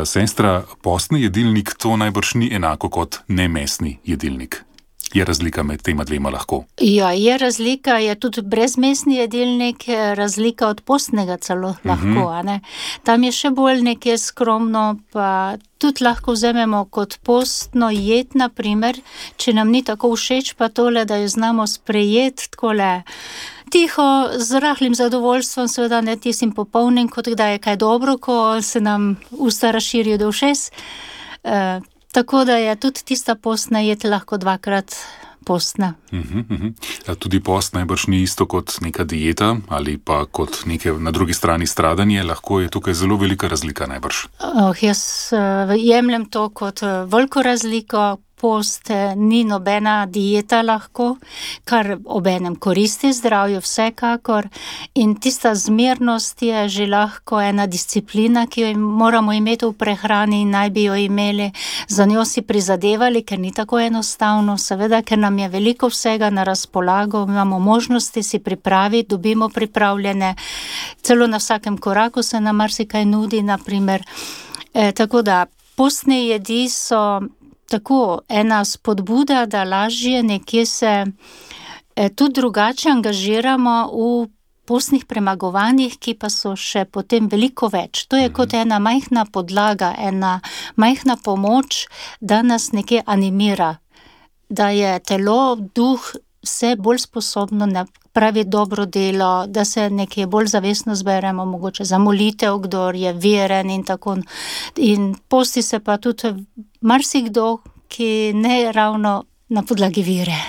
Sestra, postni jedilnik to najbrž ni enako kot nemesni jedilnik. Je razlika med tema dvema lahko? Ja, je razlika, je tudi brezmesni jedilnik, razlika od postnega celo lahko, a ne. Tam je še bolj nekje skromno, pa tudi lahko vzamemo kot postno jed, na primer, če nam ni tako všeč, pa tole, da jo znamo sprejeti takole tiho, z rahlim zadovoljstvom, seveda ne tistim popolnim, kot da je kaj dobro, ko se nam usta razširijo do ušes. Tako da je tudi tista postna jed lahko dvakrat postna. Tudi post najbrž ni isto kot neka dieta ali pa kot neke na drugi strani stradanje, lahko je tukaj zelo velika razlika najbrž. Jaz jemljem to kot veliko razliko. Post ni nobena dieta lahko, kar obenem koristi zdravju vsekakor, in tista zmernost je že lahko ena disciplina, ki jo moramo imeti v prehrani in naj bi jo imeli, za njo si prizadevali, ker ni tako enostavno, seveda, ker nam je veliko vsega na razpolago, imamo možnosti si pripraviti, dobimo pripravljene, celo na vsakem koraku se nam marsikaj nudi, na primer. Tako da postne jedi so tako ena spodbuda, da lažje nekje se tudi drugače angažiramo v postnih premagovanjih, ki pa so še potem veliko več. To je kot ena majhna podlaga, ena majhna pomoč, da nas nekje animira, da je telo, duh vse bolj sposobno napraviti dobro delo, da se nekje bolj zavestno zberemo, mogoče za molitev, kdor je veren in tako. In posti se pa tudi marsikdo, ki ne ravno na podlagi vere.